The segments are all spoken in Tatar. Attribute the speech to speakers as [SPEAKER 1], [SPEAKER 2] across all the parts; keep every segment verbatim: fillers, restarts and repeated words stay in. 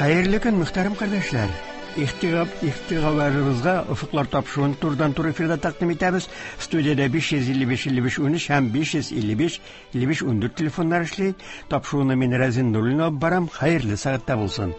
[SPEAKER 1] Хәерле көн, мөхтәрәм кардәшләр. Игътибарыгызга Офыклар тапшыруын турыдан-туры эфирда тәкъдим итәбез. Студиядә биш йөз илле биш илле биш унөч һәм биш йөз илле биш илле биш ундүрт телефоннар эшли. Тапшыруны мин Рәзин Нуруллин алып барам. Хәерле сәгатьтә булсын.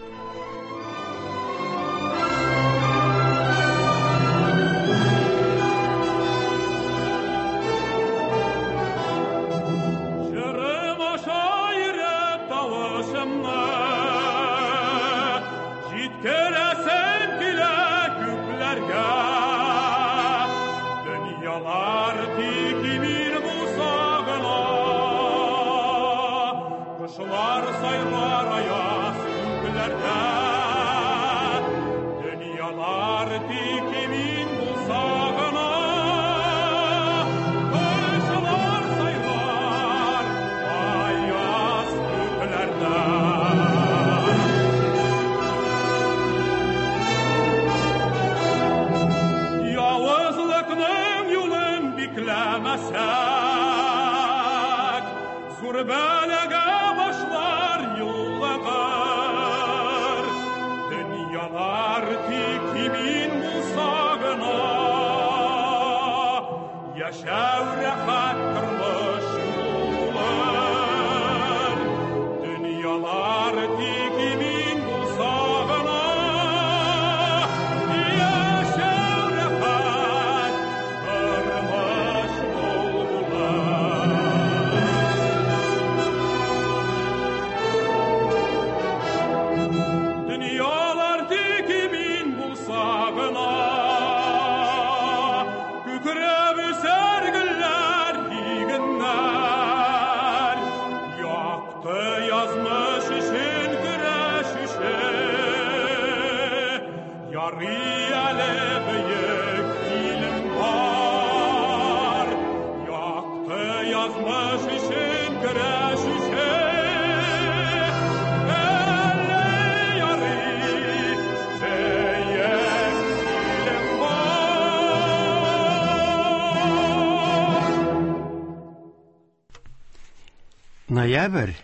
[SPEAKER 1] Ноябрь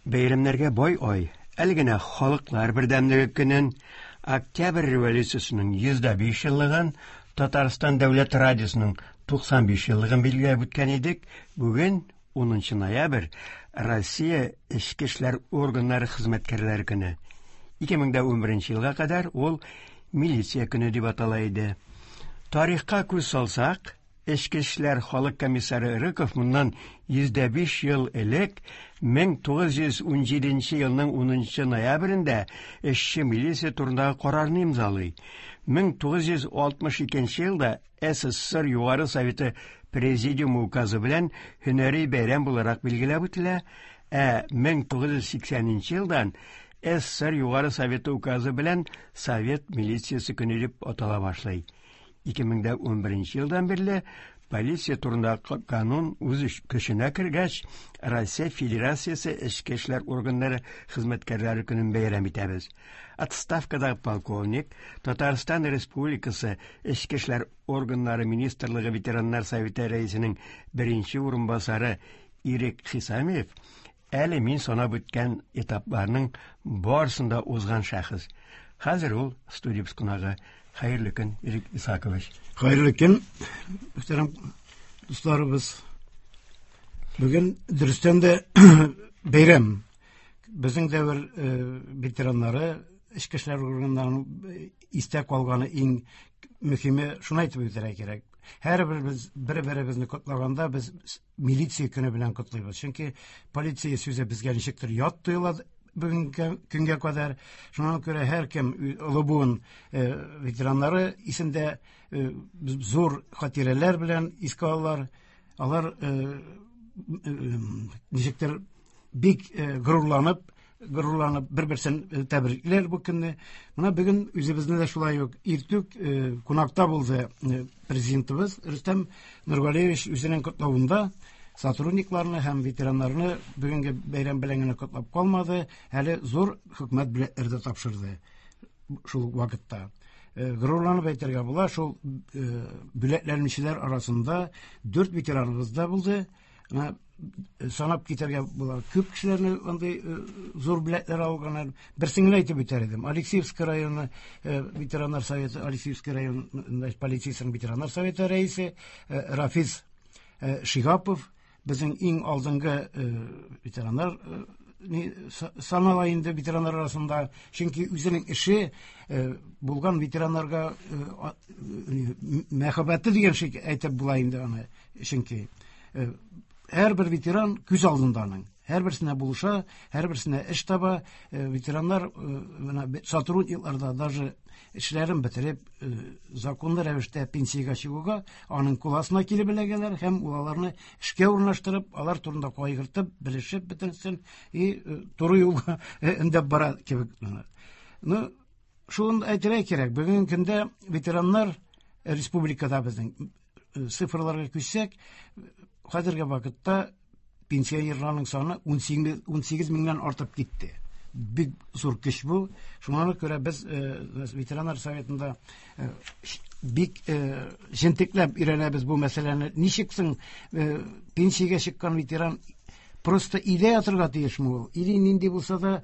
[SPEAKER 1] бәйрәмнәргә бай ай. Әле генә халыклар бердәмлеге көнен, Октябрь революциясенең йөз дә биш еллыгын, Татарстан дәүләт радиосының туксан биш еллыгын билгеләп үткән идек. Бүген унынчы ноябрь Россия Эчке эшләр органнары хезмәткәрләре көне. Ике мең дә унберенче елга кадәр ул милиция көне дип атала иде. Тарихка күз салсак, Эчке эшләр халык комиссары Рыков моннан йөз дә биш ел элек мең тугыз йөз унҗиденче елның унынчы ноябрендә эшче милиция турындагы карарны имзалый. Мең тугыз йөз алтмыш икенче елда эс эс эс эр Югары Советы Президиумы указы белән һөнәри бәйрәм буларак билгеләп үтелә, ә мең тугыз йөз сиксәненче елдан эс эс эс эр Югары Советы указы белән Совет милициясе көне дип атала башлый. Ике мең дә унберенче елдан бирле полиция турындагы канун үз көченә кергәч, Россия Федерациясе Эчке эшләр органнары хезмәткәрләре көнен бәйрәм итәбез. Отставкадагы полковник, Татарстан Республикасы Эчке эшләр органнары Министрлыгы ветераннар советы рәисенең беренче урынбасары Ирек Хисамиев әле мин санап үткән этапларның барысын да узган шәхес. Хәзер ул студия кунагы. Хәерле көн, Ирек Исакович.
[SPEAKER 2] Хәерле көн, мөхтәрәм дусларыбыз. Бүген дөрестән дә бәйрәм. Безнең дәвер, э, ветераннары, эчке эшләр органнарының истә калганы иң мөһиме шуны әйтеп үтәргә кирәк. Һәрбер без бер-беребезне котлаганда без милиция көне белән котлыйбыз. Чөнки полиция сүзе безгә ничектер ят тоела бүгенге көнгә кадәр. Шуңа күрә һәркем олы буын, э, ветераннары исендә, э, зур хатирәләр белән искә алалар. Алар, э, э, ничектер бик, э, горурланып, горурланып бер-берсен, э, тәбрикләр бу көнне. Менә бүген үзебезне дә шулай ук иртүк, э, кунакта булды, э, президентыбыз Рөстәм Нургалиевич үзенең котлавында сотрудникларны һәм ветераннарны бүгенге бәйрәм белән генә котлап калмады, әле зур хөкүмәт бүләкләре дә тапшырды шул ук вакытта. Э, горурланып әйтергә була, шул, э, бүләкләнүчеләр арасында дүрт ветераныбыз да булды. Менә санап китәргә була. Күп кешеләрне андый зур бүләкләр алганнар. Берсен генә әйтеп үтәр идем. Алексеевский районы ветераннар советы, Алексеевский район полициясенең ветераннар советы рәисе Рафиз Шигапов безнең иң алдынгы ветераннар санала инде ветераннар арасында, чөнки үзенең эше булган ветераннарга мәхәббәте дигән шик әйтеп була инде аны, чөнки һәрбер ветеран күз алдында аның. Һәрберсенә булыша, һәрберсенә эш таба. Ветераннар менә сотрудникларда даже эшләрен бетереп, законлы рәвештә пенсиягә чыгуга аның кул астына килеп эләгәләр һәм ул аларны эшкә урнаштырып, алар турында кайгыртып, белешеп бетерсен и туры юлга өндәп бара кебек. Ну, шуны әйтергә кирәк, бүгенге көндә ветераннар республикада безнең цифрларга күчсәк, хәзерге вакытта пенсионерларның саны ун сигез меңнән артып китте. Бик зур көч бу. Шуңа күрә без ветераннар советында бик җентекләп өйрәнәбез бу мәсьәләне. Ничек соң пенсиягә чыккан ветеран просто өйдә ятырга тиешме ул? Или нинди булса да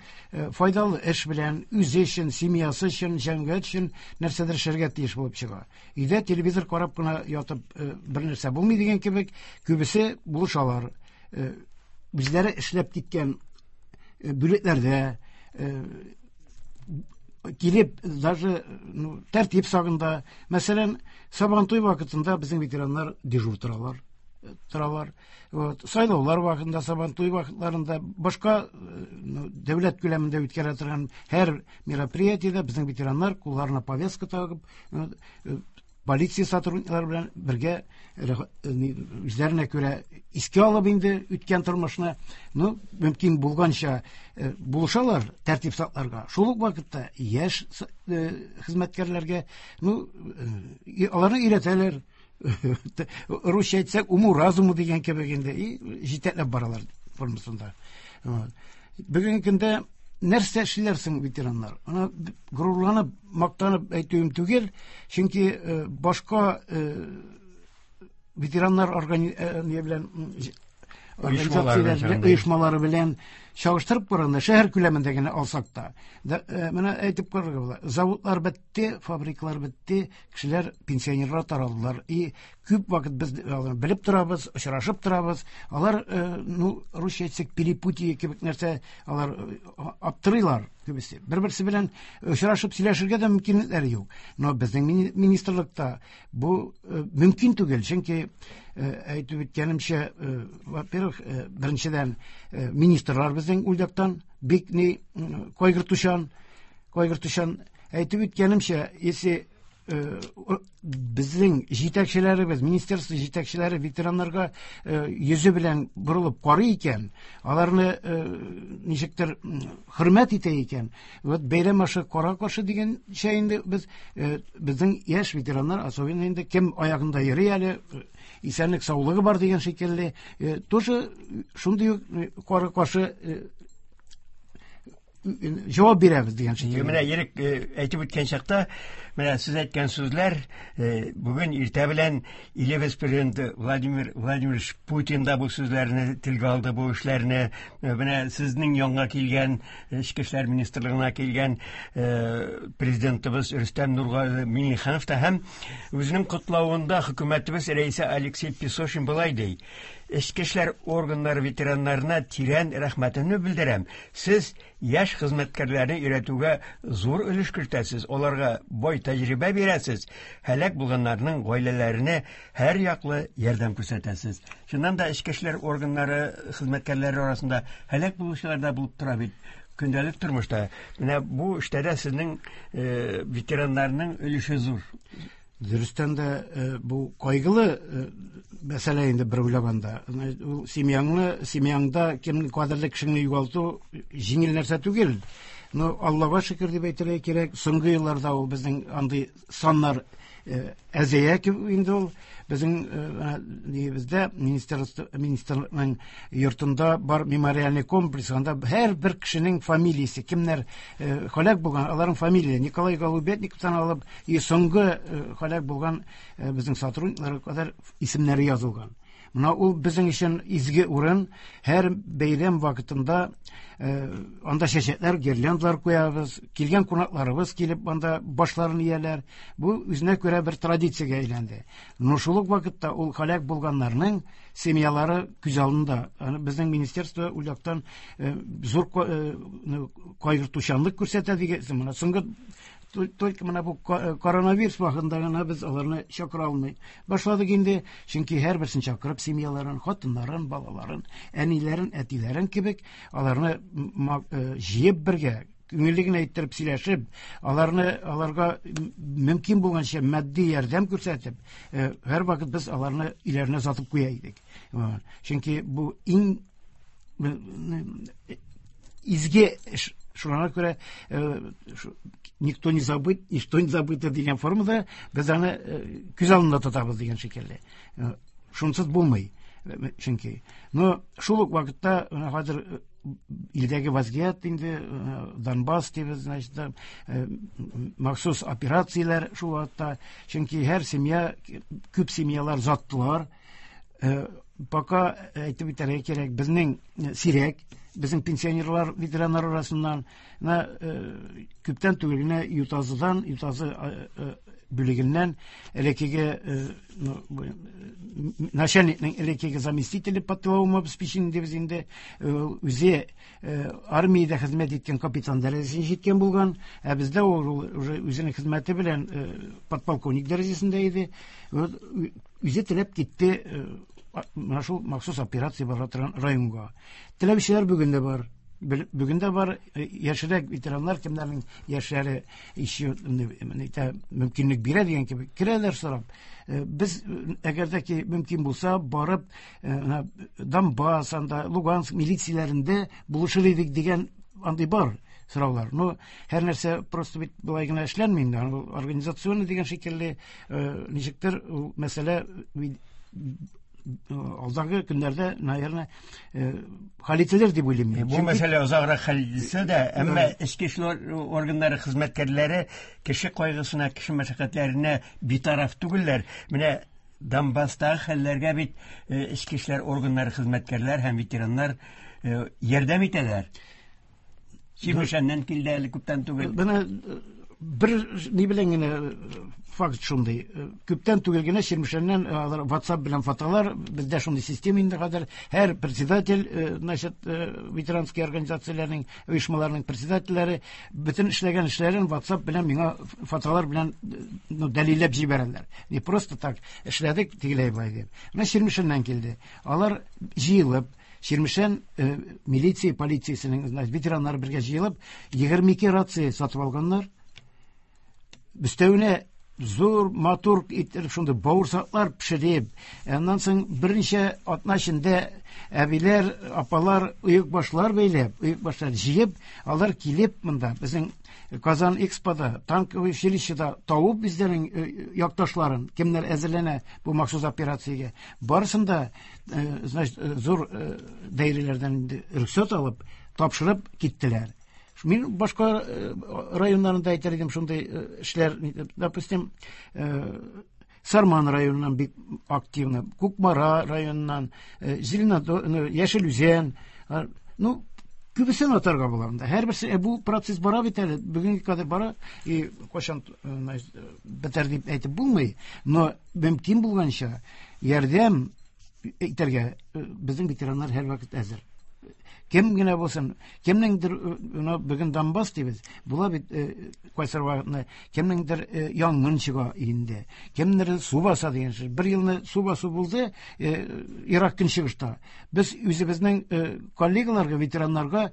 [SPEAKER 2] файдалы эш белән үзе өчен, семьясы өчен, җәмгыять өчен нәрсәдер эшләргә тиеш булып чыга. Өйдә телевизор карап кына ятып бер нәрсә булмый дигән кебек, күбесе булышалар. Үзләре эшләп киткән бүлекләрдә килеп даже тәртип сагында, мәсәлән, Сабантуй вакытында безнең ветераннар дежур торалар. торалар. Вот, сайлаулар вакытында, Сабантуй вакытларында, башка дәүләт күләмендә үткәрә торган һәр мероприятиедә безнең ветераннар кулларына повестка тагып, полиция сотрудниклары белән бергә үзләренә күрә искә алып инде үткән тормышны, ну, мөмкин булганча булышалар тәртип сакларга. Шул ук вакытта яшь хезмәткәрләргә, ну, аларны өйрәтәләр. Русча әйтсәк, уму-разуму дигән кебек инде, и җитәкләп баралар формасында. Бүгенге көндә нәрсә эшлиләр соң ветераннар? Аны горурланып, мактанып әйтүем түгел, чөнки башка ветераннар белән организацияләр, оешмалары белән чагыштырып караганда, шәһәр күләмендә генә алсак та, менә әйтеп карарга була. Заводлар бетте, фабрикалар бетте, кешеләр, пенсионерлар таралдылар. И күп вакыт без белеп торабыз, очрашып торабыз. Алар, ну, русча әйтсәк, перепутье кебек нәрсә, алар аптырыйлар күбесе. Бер-берсе белән очрашып сөйләшергә дә мөмкинлекләре юк. Но безнең министрлыкта бу мөмкин түгел, чөнки әйтеп үткәнемчә, во-первых, беренчедән, министрлар безнең ул яктан бик ни кайгыртучан, кайгыртучан. Әйтеп үткәнемчә, если безнең җитәкчеләребез, министерство җитәкчеләре ветераннарга йөзе белән борылып карый икән, аларны ничектер хөрмәт итә икән, вот бәйрәм ашы кара каршы дигәнчә инде без безнең яшь ветераннар, особенно инде кем аягында йөри әле, исәнлек саулыгы бар дигән шикелле, тоже шундый ук кара каршы җавап бирәбез дигән шикелле.
[SPEAKER 1] Менә Ирек әйтеп үткән чакта, менә сез әйткән сүзләр, бүген иртә белән илебез президенты Владимир Владимирович Путин да бу сүзләрне телгә алды, бу эшләрне. Менә сезнең янга килгән, Эчке эшләр министрлыгына килгән президентыбыз Рөстәм Нургали Миңнеханов та һәм үзенең котлавында хөкүмәтебез рәисе Алексей Песошин болай ди: Эчке эшләр органнары ветераннарына тирән рәхмәтемне белдерәм. Сез яшь хезмәткәрләрне өйрәтүгә зур өлеш кертәсез, аларга бай тәҗрибә бирәсез, һәлак булганнарның гаиләләренә һәр яклы ярдәм күрсәтәсез. Чыннан да эчке эшләр органнары хезмәткәрләре арасында һәлак булучылар да булып тора бит көндәлек тормышта. Менә бу эштә дә сезнең ветераннарның өлеше зур.
[SPEAKER 2] Дөрестән дә бу кайгылы мәсьәлә инде бер уйлаганда. Ул семьяңны, семьяңда кемнең кадерле кешеңне югалту җиңел нәрсә түгел. Но Аллага шөкер дип әйтергә кирәк, соңгы елларда ул безнең андый саннар әзәя инде ул. Безнең нигездә министрлыкның йортында бар мемориальный комплекс, анда һәрбер кешенең фамилиясе, кемнәр һәлак булган, аларның фамилиясе Николай Голубятниковтан алып, и соңгы һәлак булган безнең сотрудникларга кадәр исемнәре язылган. Менә ул безнең өчен изге урын. Һәр бәйрәм вакытында анда чәчәкләр, гирляндалар куябыз. Килгән кунакларыбыз килеп анда башларын ияләр. Бу үзенә күрә бер традициягә әйләнде. Но шул ук вакытта ул һәлак булганнарның семьялары күз алдында. Аны безнең министерство ул яктан зур кайгыртучанлык күрсәтә дигән. Менә соңгы только менә бу коронавирус вакытында гына без аларны чакыра алмый башладык инде, чөнки һәрберсен чакырып семьяларын, хатыннарын, балаларын, әниләрен, әтиләрен кебек аларны җыеп бергә күңелле генә иттереп сөйләшеп, аларны аларга мөмкин булганча матди ярдәм күрсәтеп, һәрвакыт без аларны өйләренә озатып куя идек. Чөнки бу иң изге эш. Шуңа күрә никто не забыт, ничто не забыто дигән формада без аны күз алдында тотабыз дигән шикелле. Шунсыз булмый, чөнки. Но шул ук вакытта хәзер илдәге вазгыять инде Донбасс дибез, значит, махсус операцияләр шул вакытта, чөнки һәр семья, күп семьялар заттылар. Пока әйтеп үтәргә кирәк, безнең сирәк, безнең пенсионерлар, ветераннар арасыннан менә күптән түгел генә Ютазыдан, Ютазы бүлегеннән элеккеге начальникның элеккеге заместителе по тыловому обеспечению дибез инде, үзе армиядә хезмәт иткән капитан дәрәҗәсенә җиткән булган, ә бездә ул уже үзенең хезмәте белән подполковник дәрәҗәсендә иде. Үзе теләп китте менә шул махсус операция бара торган районга. Теләүчеләр бүген дә бар. Бүген дә бар яшьрәк ветераннар, кемнәрнең яшьләре еще мөмкинлек бирә дигән кебек керәләр сорап. Без әгәр дә ки мөмкин булса барып Донбасс, анда Луганск милицияләрендә булышыр идек дигән андый бар сораулар. Но һәр нәрсә просто бит болай гына эшләнми инде. Организационный дигән шикелле ничектер ул мәсьәлә алдагы көннәрдә, наверное, хәл ителер дип уйлыйм.
[SPEAKER 1] Бу мәсьәлә озаграк хәл ителсә дә, әмма эчке эшләр органнары хезмәткәрләре кеше кайгысына, кеше мәшәкатьләренә битараф түгелләр. Менә Донбасстагы хәлләргә бит эчке эшләр органнары хезмәткәрләр һәм ветераннар ярдәм итәләр. Чирмешәннән килде әле күптән түгел.
[SPEAKER 2] Менә бер ни белән генә факт шундый. Күптән түгел генә Чирмешәннән алар WhatsApp белән фотолар, бездә шундый система инде хәзер. Һәр председатель, значит, ветеранский организацияләрнең, оешмаларның председательләре бөтен эшләгән эшләрен WhatsApp белән миңа фотолар белән, ну, дәлилләп җибәрәләр. Не просто так эшләдек тегеләй болай дип. Менә Чирмешәннән килде. Алар җыелып Чирмешән милиция, полициясенең, значит, ветераннары бергә җыелып, егерме ике рация сатып алганнар. Өстәвенә зур матур итеп шундый бавырсаклар пешереп, аннан соң берничә атна эчендә әбиләр, апалар оекбашлар бәйләп, оекбашлар җыеп, алар килеп монда безнең Казан Экспода, танковый училищеда табып үзләренең якташларын, кемнәр әзерләнә бу махсус операциягә, барысын да, значит, зур даирәләрдән инде рөхсәт алып, тапшырып киттеләр. Мин башка районнарында әйтер идем шундый эшләр, допустим, Сарман районыннан бик активно, Кукмара районыннан, Зеленодол, Яшел Үзән, ну, күбесен атарга була монда. Һәрберсе бу процесс бара бит әле, бүгенге кадәр бара, и кайчан бетәр дип әйтеп булмый, но мөмкин булганча ярдәм итәргә безнең ветераннар һәрвакыт әзер. Кем генә булсын, кемнеңдер, бүген Донбасс дибез, була бит кайсыр вакытны, кемнеңдер янгын чыга инде, кемнеңдер су баса дигән сүз. Бер елны су басу булды Ирак көнчыгышта. Без үзебезнең коллегаларга, ветераннарга,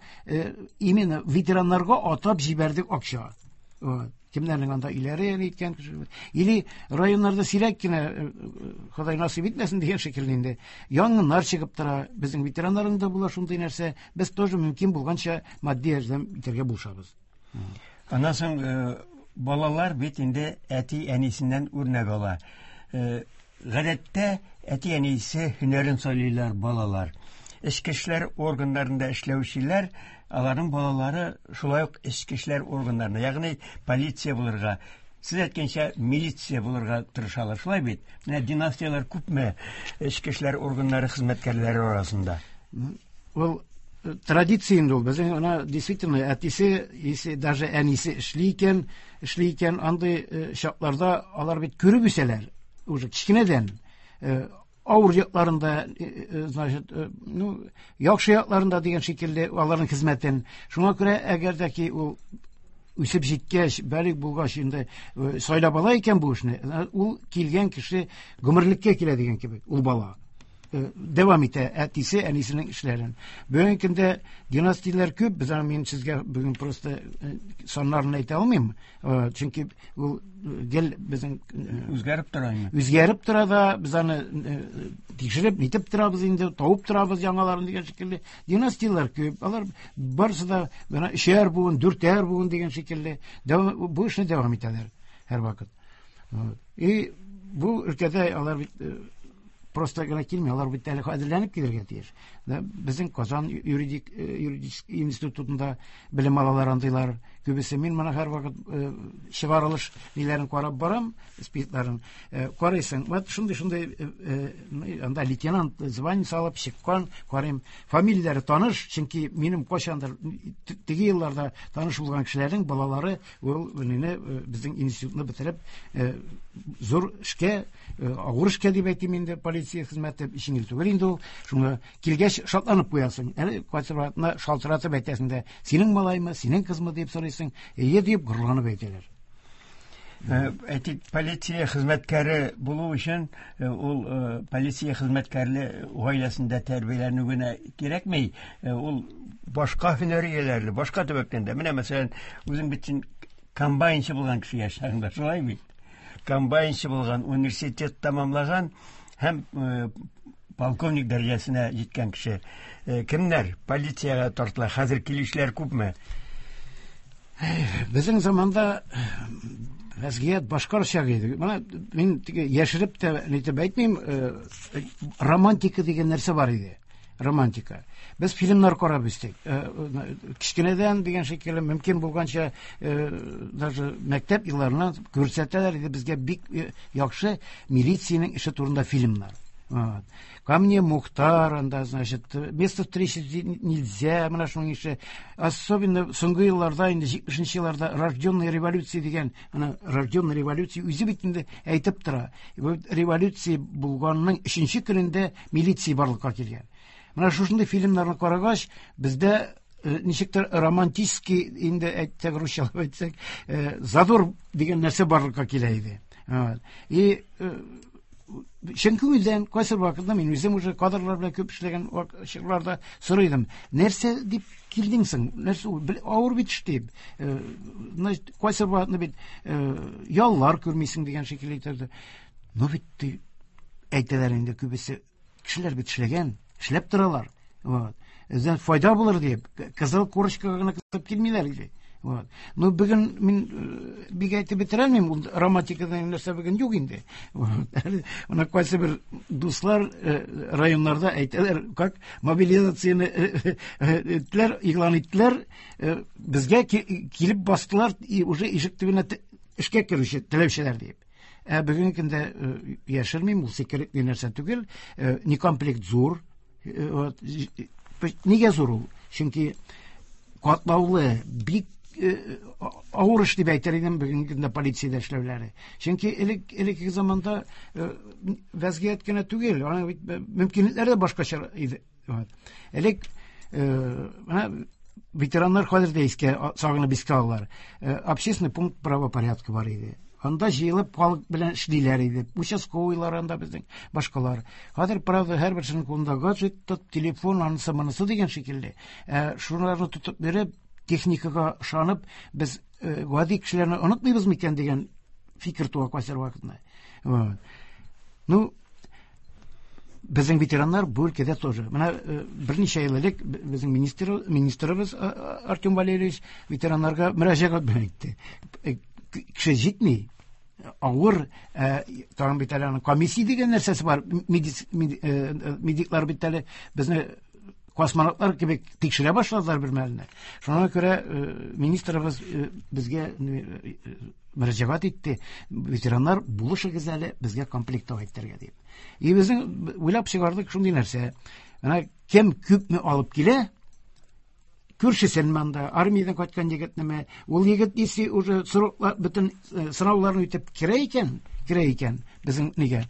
[SPEAKER 2] именно ветераннарга атап җибәрдек акча. Кемнәрнең анда өйләре әйткән кеше. Или районнарда сирәк кенә, Ходай насыйп итмәсен дигән шикелле инде, янгыннар чыгып тора. Безнең ветераннарның да була шундый нәрсә. Без тоже мөмкин булганча матди ярдәм итәргә булышабыз.
[SPEAKER 1] Аннан соң балалар бит инде әти-әнисеннән үрнәк ала. Гадәттә әти-әнисе һөнәрен сайлыйлар балалар. Эчке эшләр органнарында эшләүчеләр, аларның балалары шулай ук эчке эшләр органнарында, ягъни полиция булырга, Сез әйткәнчә, милиция булырга тырышалар, шулай бит? Менә династияләр күпме эчке эшләр органнары хезмәткәрләре арасында?
[SPEAKER 2] Ул традиция инде ул. Безнең ана действительно әтисе, если даже әнисе эшли икән, эшли икән, андый чакларда алар бит күреп үсәләр. Уже кечкенәдән авыр якларында, значит, ну, яхшы якларында дигән шикелле аларның хезмәтен. Шуңа күрә әгәр дә ки ул үсеп җиткәч, балигъ булгач инде сайлап ала икән бу эшне, ул килгән кеше гомерлеккә килә дигән кебек, ул бала дәвам итә әтисе, әнисенең эшләрен. Бүгенге көндә династияләр күп, без аны мин сезгә бүген просто саннарын әйтә алмыйм, чөнки ул гел безнең
[SPEAKER 1] үзгәреп тора инде.
[SPEAKER 2] Үзгәреп тора да, без аны тикшереп, нитеп торабыз инде, табып торабыз яңаларын дигән шикелле. Династияләр күп, алар барысы да менә өчәр буын, дүртәр буын дигән шикелле бу эшне дәвам итәләр һәрвакыт. И бу өлкәдә алар бит просто гына килми, алар бит әле әзерләнеп килергә тиеш. Безнең Казан юридик юридический институтында белем алалар андыйлар. Күбесе мин моны һәрвакыт чыгарылыш ниләрен карап барам, спискларын карыйсың. Вот шундый шундый анда лейтенант звание алып чыккан, карыйм. Фамилияләре таныш, чөнки минем кайчандыр теге елларда таныш булган кешеләрнең балалары ул мине безнең институтны бетереп зур эшкә, авыр эшкә дип әйтим инде, полиция хезмәте җиңел түгел инде ул. Шуңа килгәч шатланып куясың. Әле кайсы вакытны шалтыратып әйтәсең дә, синең малаймы, синең кызмы дип сорыйсың, әйе дип горурланып әйтәләр.
[SPEAKER 1] Әйтик, полиция хезмәткәре булу өчен ул полиция хезмәткәрле гаиләсендә тәрбияләнү генә кирәкми, ул башка һөнәр ияләре, башка төбәктән дә. Менә мәсәлән, үзең бит син комбайнчы булган кеше яшьләреңдә, шулай бит? Комбайнчы булган, университет тәмамлаган һәм полковник дәрәҗәсенә җиткән кеше. Кемнәр полициягә тартыла? Хәзер килүчеләр күпме?
[SPEAKER 2] Безнең заманда вәзгыять башкача иде. Менә мин теге яшереп тә нитеп әйтмим, романтика дигән нәрсә бар иде. Романтика. Без фильмнар карап үстек. Кечкенәдән дигән шикелле мөмкин булганча, даже мәктәп елларыннан күрсәтәләр иде безгә бик яхшы милициянең эше турында фильмнар. Вот. Ко мне Мухтар, анда, значит, место встречи нельзя, менә шуның ише. Особенно соңгы елларда, инде җитмешенче елларда рожденная революция дигән, ана рожденная революция үзе бит инде әйтеп тора. Революция булганның өченче көнендә милиция барлыкка килгән. Менә шушындый фильмнарны карагач, бездә ничектер романтический, инде әйтсәк, русчалап әйтсәк, задор дигән нәрсә барлыкка килә иде. И чын күңелдән кайсы вакытта мин үзем уже кадрлар белән күп эшләгән чорларда сорыйдым. Нәрсә дип килдең соң? Нәрсә ул? Авыр бит эш дип. Значит, кайсы вакытны бит яллар күрмисең дигән шикелле әйтәләр. Но бит әйтәләр инде күбесе, кешеләр бит эшләгән, эшләп торалар. Вот. Эздән файда булыр дип, кызыл корочкага гына кысып килмиләр иде. Вот. Но бүген мин бик әйтеп бетерә алмыйм, ул романтикадан нәрсә бүген юк инде. Вот. Менә кайсы бер дуслар районнарда әйтәләр, как мобилизацияне иттеләр, игълан иттеләр, безгә килеп бастылар, и уже ишек төбенә эшкә керүче теләүчеләр дип. Ә бүгенге көндә яшермим, ул секретле нәрсә түгел, некомплект зур. Вот. Нигә зур ул? Чөнки катлаулы, бик авыр эш дип әйтер идем бүгенге көндә полициядә эшләүләре. Чөнки элек элекке заманда вәзгыять кенә түгел, аның бит мөмкинлекләре дә башкача иде. Элек менә ветераннар хәзер дә искә сагынып искә алалар. Общественный пункт правопорядка бар иде. Анда җыелып халык белән эшлиләр иде. Участковыйлар анда безнең, башкалар. Хәзер, правда, һәрберсенең кулында гаджет, телефон, анысы монысы дигән шикелле. Шуларны тотып биреп, техникага ышанып, без гади кешеләрне онытмыйбыз микән дигән фикер туа кайсы вакытны. Ну, безнең ветераннар бу өлкәдә тоже. Менә берничә ел элек безнең министр министрыбыз Артем Валерьевич ветераннарга мөрәҗәгать белән әйтте. Кеше җитми, авыр, тагын бит әле аның комиссия дигән нәрсәсе бар. Медиклар бит әле безне Космонавтлар кебек тикшерә башладылар бер мәлне. Шуңа күрә министрыбыз безгә мөрәҗәгать итте. Ветераннар, булышыгыз әле безгә комплектовать итәргә дип. И безнең уйлап чыгардык шундый нәрсә. Менә кем күпме алып килә, күршесен монда, армиядән кайткан егетнеме, ул егет если уже сроклар, бөтен сынауларны үтеп керә икән, керә икән безнең нигә,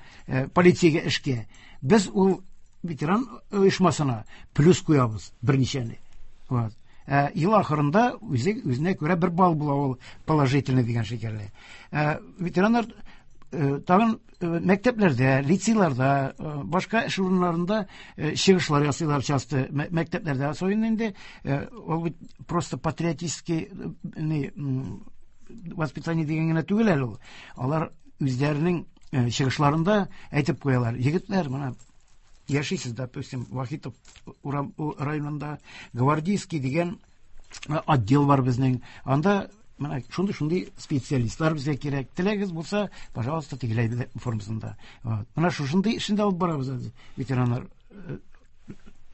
[SPEAKER 2] полициягә эшкә. Без ул ветеран оешмасына плюс куябыз берничәне. Вот. Ә, ел ахырында үзе үзенә күрә бер балл була ул положительный дигән шикелле. Ә, ветераннар тагын мәктәпләрдә, лицейларда, башка эш урыннарында чыгышлар ясыйлар часто. Мәктәпләрдә особенно инде ул бит просто патриотический воспитание дигән генә түгел әле ул. Алар үзләренең чыгышларында әйтеп куялар. Егетләр, менә яшисез, допустим, Вахитов районында Гвардейский дигән отдел бар безнең. Анда менә шундый-шундый специалистлар безгә кирәк. Теләгегез булса, пожалуйста, тегеләй формасында. Менә шушындый эшне дә алып барабыз ветераннар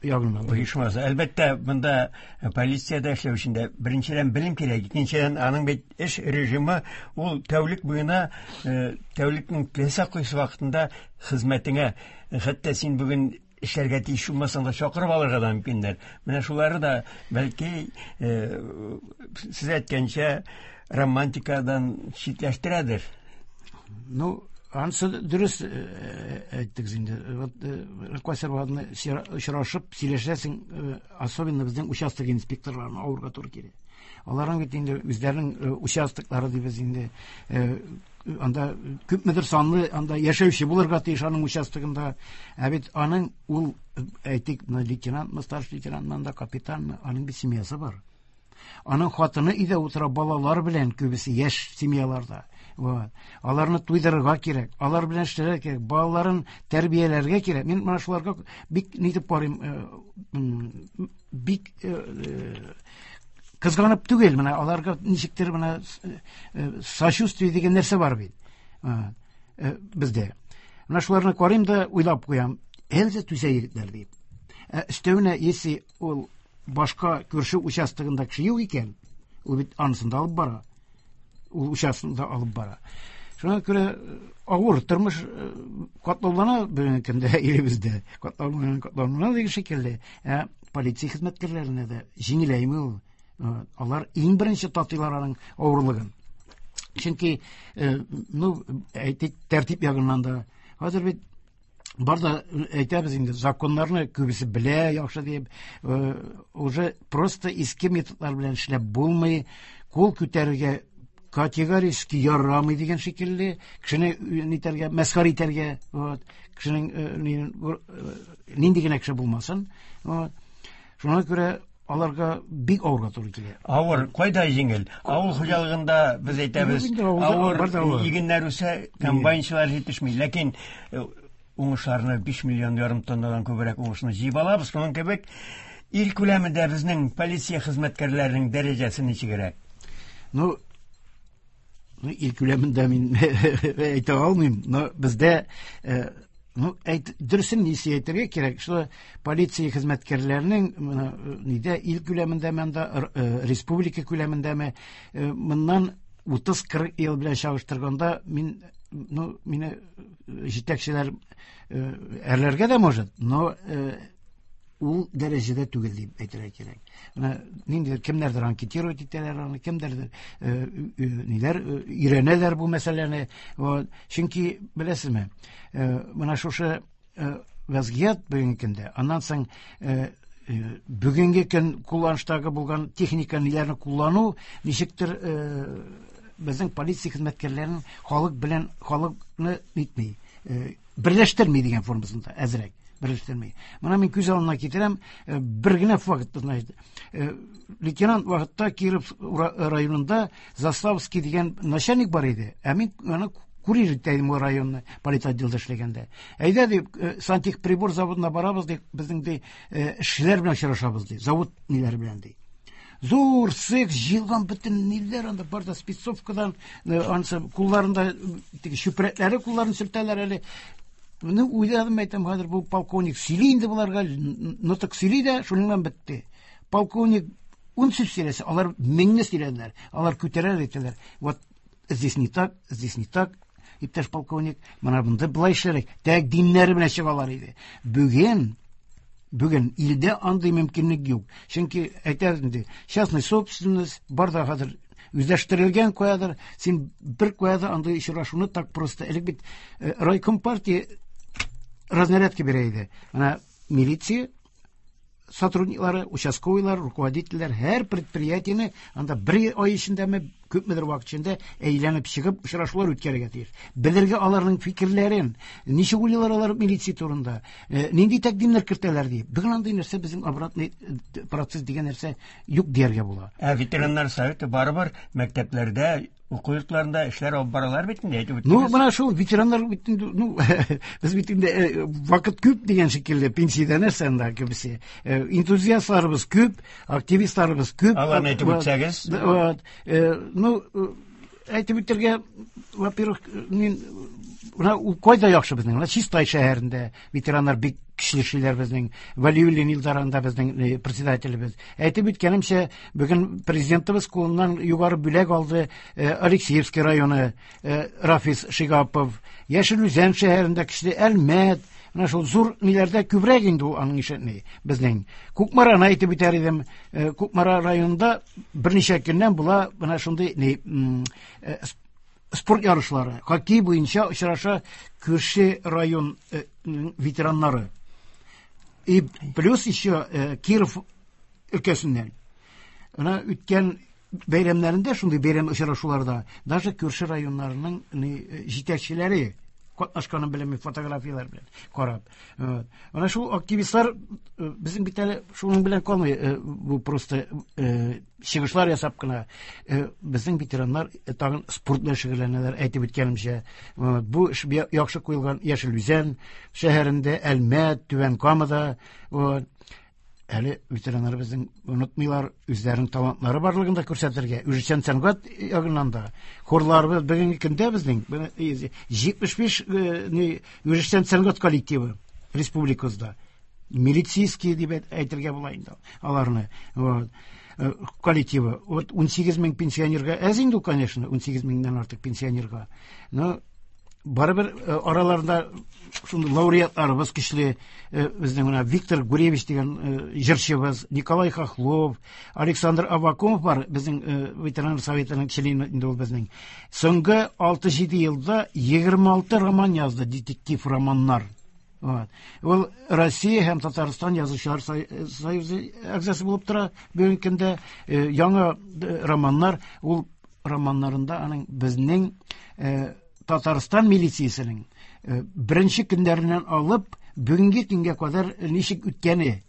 [SPEAKER 2] ягыннан.
[SPEAKER 1] Оешмасы. Әлбәттә, монда полициядә эшләү өчен дә беренчедән белем кирәк, икенчедән аның бит эш режимы ул тәүлек буена, тәүлекнең теләсә кайсы вакытында хезмәтеңә, хәтта син бүген эшләргә тиеш булмасаң да чакырып алырга да мөмкиннәр. Менә шулары да бәлки сез әйткәнчә романтикадан читләштерәдер.
[SPEAKER 2] Ну, ансы дөрес әйттегез инде. Вот Кайсар Ваһабны очрашып сөйләшәсең, особенно безнең участок инспекторларына авырга туры килә. Аларның бит инде үзләренең участоклары дибез инде. Анда күпмедер санлы анда яшәүче булырга тиеш аның участогында. Ә бит аның ул, әйтик, лейтенантмы, старший лейтенантмы, анда капитанмы, аның бит семьясы бар. Аның хатыны өйдә утыра, балалар белән, күбесе яшь семьяларда. Вот. Аларны туйдырырга кирәк, алар белән эшләргә кирәк, балаларын тәрбияләргә кирәк. Мин менә шуларга бик нитеп карыйм, бик кызганып түгел, менә аларга ничектер менә сочувствие дигән нәрсә бар бит бездә. Менә шуларны карыйм да уйлап куям, әле түзә егетләр дип. Өстәвенә, если ул башка күрше участогында кеше юк икән, ул бит анысын да алып бара. Ул участогында алып бара. Шуңа күрә авыр тормыш катлаулана бүгенге көндә илебездә. Катлаулана, катлаулана дигән шикелле. Ә полиция хезмәткәрләренә дә җиңеләйме ул? Алар иң беренче татыйлар аның авырлыгын. Чөнки, ну, әйтик, тәртип ягыннан да. Хәзер бит бар да әйтәбез инде, законнарны күбесе белә, яхшы дип, уже просто иске методлар белән эшләп булмый, кул күтәрергә категорически ярамый дигән шикелле, кешене нитәргә, мәсхәрә итәргә, вот, кешенең нинди генә кеше булмасын, вот. Шуңа күрә аларга бик авырга туры килә.
[SPEAKER 1] Авыр, кайда җиңел? Авыл хуҗалыгында без әйтәбез, авыр игеннәр үсә, комбайнчылар җитешми. Ләкин уңышларны биш миллион ярым тоннадан күбрәк уңышны җыеп алабыз. Шуның кебек ил күләмендә безнең полиция хезмәткәрләренең дәрәҗәсе ничегрәк?
[SPEAKER 2] Ну, ну, ил күләмендә мин әйтә алмыйм, но бездә, ну, әйт, дөресен ничек әйтергә кирәк, что полиция хезмәткәрләренең нидә ил күләмендәме, анда республика күләмендәме, моннан утыз кырык ел белән чагыштырганда мин, ну, мине җитәкчеләр әрләргә дә может, но ул дәрәҗәдә түгел дип әйтергә кирәк. Менә ниндидер кемнәрдер анкетировать итәләр аны, кемдәрдер ниләр өйрәнәләр бу мәсьәләне. Чөнки беләсезме, менә шушы вазгыять бүгенге көндә, аннан соң бүгенге көн кулланыштагы булган техника ниләрне куллану ничектер безнең полиция хезмәткәрләрен халык белән халыкны нитми, берләштерми дигән формасында әзрәк берләштерми. Менә мин күз алдына китерәм, бер генә факт, значит, лейтенант вакытта Киров районында Заславский дигән начальник бар иде. Ә мин аны курьер итә идем ул районны политотделда эшләгәндә. Әйдә дип, сантехприбор заводына барабыз дип, безнең ди эшчеләр белән очрашабыз ди, завод ниләре белән ди. Зур цех җыелган бөтен ниләр анда бар да спецовкадан, ансы кулларында теге чүпрәкләре кулларын сөртәләр әле. Ну, уйладым, әйтәм, хәзер бу полковник сөйли инде боларга, нотык сөйли дә, шуның белән бетте. Полковник ун сүз сөйләсә, алар меңне сөйләделәр. Алар күтәрәләр, әйтәләр. Вот здесь не так, здесь не так, иптәш полковник, менә монда болай эшләргә. Тәкъдимнәре белән чыгалар иде. Бүген Бүген илдә андый мөмкинлек юк. Чөнки әйтәбез инде, частный собственность бар да хәзер үзләштерелгән каядыр. Син бер куяда андый очрашуны так просто. Элек бит э, райком партия разнарядка бирә иде. Менә милиция сотрудниклары, участковыйлар, руководительләр һәр предприятиене анда бер ай эчендәме, күпмедер вакыт эчендә әйләнеп чыгып очрашулар үткәрергә тиеш. Белергә аларның фикерләрен, ничек уйлыйлар алар милиция турында, э, нинди тәкъдимнәр кертәләр дип. Бүген андый нәрсә, безнең обратный э, процесс дигән нәрсә юк дияргә була.
[SPEAKER 1] Ә ветераннар советы барыбер мәктәпләрдә, уку йортларында эшләр алып баралар бит инде, әйтеп
[SPEAKER 2] Ну,
[SPEAKER 1] үттегез.
[SPEAKER 2] Менә шул ветераннар бит инде, ну, без бит инде э, вакыт күп дигән шикелле, пенсиядә нәрсә анда күбесе. Э, Энтузиастларыбыз күп, активистларыбыз күп.
[SPEAKER 1] Аларны әйтеп
[SPEAKER 2] Вот,
[SPEAKER 1] үтсәгез.
[SPEAKER 2] да, вот. Э, Ну, э, әйтеп үтәргә, во-первых, мин менә ул кайда яхшы безнең? Менә Чистай шәһәрендә ветераннар бик көчле эшлиләр безнең. Вәлиуллин Илдар анда безнең э, председателебез. Әйтеп үткәнемчә, бүген президентыбыз кулыннан югары бүләк алды э, Алексеевский районы, э, Рафис Шигапов. Яшел Үзән шәһәрендә көчле, Әлмәт, менә шул зур ниләрдә күбрәк инде ул аның ише ни безнең. Кукмараны әйтеп үтәр идем. Э, Кукмара районында берничә көннән була менә шундый ни м, э, спорт ярышлары. Хоккей буенча очраша күрше район э, м, ветераннары. И плюс еще э, Киров өлкәсеннән. Менә үткән бәйрәмнәрендә, шундый бәйрәм очрашуларда даже күрше районнарының ни, э, җитәкчеләре катнашканын беләм мин фотографияләр белән карап. Э, Менә шул активистлар э, безнең бит әле шуның белән калмый, э, бу просто э, чыгышлар ясап кына. Э, Безнең ветераннар э, тагын спорт белән шөгыльләнәләр, әйтеп үткәнемчә. Э, Бу эш бия- яхшы куелган Яшел Үзән шәһәрендә, Әлмәт, Түбән Камада. Вот. Әле ветераннар безнең онытмыйлар үзләренең талантлары барлыгын да күрсәтергә. Үзешчән сәнгать ягыннан да. Хорларыбыз бүгенге көндә безнең җитмеш биш ни үзешчән сәнгать коллективы республикабызда. Милицейский дип әйт- әйтергә була инде аларны. Вот. Э, Коллективы. Вот унсигез мең пенсионерга әз инде ул, конечно, унсигез меңнән артык пенсионерга. Но барыбер э, араларында шундый лауреатларыбыз көчле, э, безнең менә Виктор Гуревич дигән э, җырчыбыз, Николай Хохлов, Александр Авакумов бар, безнең э, ветераннар советының члены инде ул безнең. Соңгы алты-җиде елда егерме алты роман язды, детектив романнар. Вот. Ул Россия һәм Татарстан язучылар сой- союзы әгъзасы булып тора бүгенге көндә. Э, Яңа э, романнар, ул романнарында аның безнең э, Татарстан милициясенең э, беренче көннәреннән алып бүгенге көнгә кадәр ничек үткәне,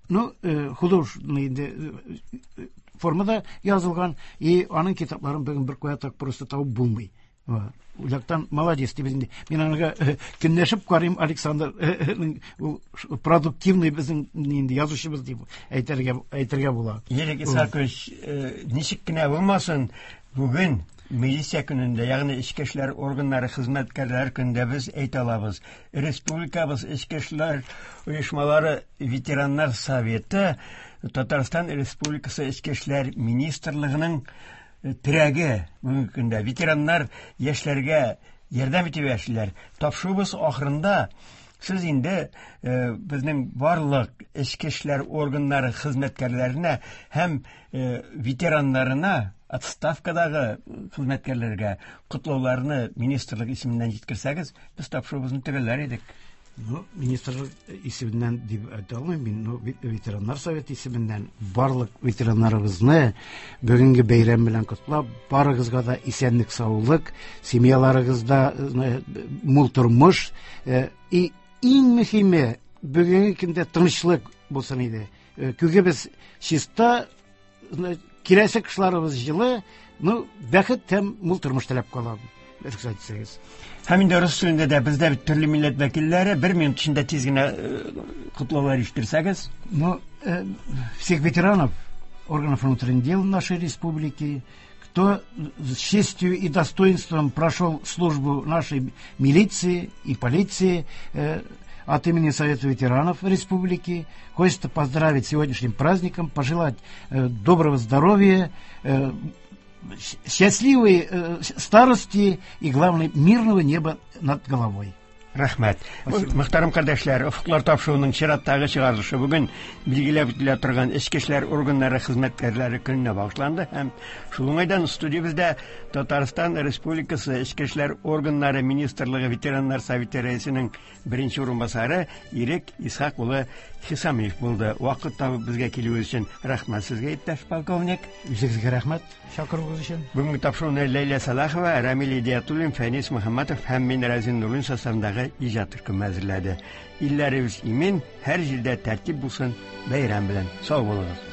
[SPEAKER 2] ну, э, художественный инде э, формада язылган, и аның китапларын бүген бер кая так просто табып булмый. Вот. Ул яктан молодец дип инде. Мин аңа э, көнләшеп карыйм Александр, э, э, ул продуктивный безнең инде язучыбыз дип әйтергә әйтергә була.
[SPEAKER 1] Ерик Исакович, э, ничек кенә булмасын, бүген милиция көнендә, ягъни эчке эшләр органнары хезмәткәрләре көнендә без әйтә алабыз. Республикабыз эчке эшләр оешмалары ветераннар советы Татарстан Республикасы Эчке эшләр министрлыгының э, терәге бүгенге көндә. Ветераннар яшьләргә ярдәм итеп яшиләр. Тапшыруыбыз ахырында сез инде э, безнең барлык эчке эшләр органнары хезмәткәрләренә һәм э, ветераннарына, отставкадагы хезмәткәрләргә котлауларны министрлык исеменнән җиткерсәгез, без тапшыруыбызны төгәлләр идек.
[SPEAKER 2] Ну, министрлык исеменнән дип әйтә алмыйм мин, ну, ветераннар советы исеменнән барлык ветераннарыбызны бүгенге бәйрәм белән котлап, барыгызга да исәнлек, саулык, семьяларыгызда э, мул тормыш, э, и иң мөһиме бүгенге көндә тынычлык булсын иде. Э, Күгебез чиста, киләсе кышларыбыз җылы, ну, бәхет һәм мул тормыш теләп калам. Рөхсәт итсәгез.
[SPEAKER 1] Һәм инде рус телендә дә бездә бит төрле милләт вәкилләре, бер минут эчендә тиз генә котлаулар ишеттерсәгез.
[SPEAKER 2] Ну, э, всех ветеранов органов внутренних дел нашей республики, Кто с честью и достоинством прошел службу нашей милиции и полиции, э, от имени Совета ветеранов Республики хочется поздравить сегодняшним праздником, пожелать э, доброго здоровья, э, счастливой э, старости и, главное, мирного неба над головой.
[SPEAKER 1] Рәхмәт. Мөхтәрәм кардәшләр, Офыклар тапшыруының чираттагы чыгарылышы бүген билгеләп үтелә торган Эчке эшләр органнары хезмәткәрләре көненә багышланды һәм шул уңайдан студиябездә Татарстан Республикасы Эчке эшләр органнары министрлыгы ветераннар советы рәисенең беренче урынбасары Ирек Исхак улы Хисамиев булды. Вакыт табып безгә килүе өчен рәхмәт сезгә, иптәш полковник.
[SPEAKER 2] Үзегезгә рәхмәт чакыруыгыз өчен.
[SPEAKER 1] Бүгенге тапшыруны Ләйлә Салахова, Рамил Идиятуллин, Фәнис Мөхәммәтов һәм мин Разин Нуруллин составындагы иҗат төркеме әзерләде. Илләребез имин, һәр җирдә тәртип булсын, бәйрәм белән. Сау булыгыз.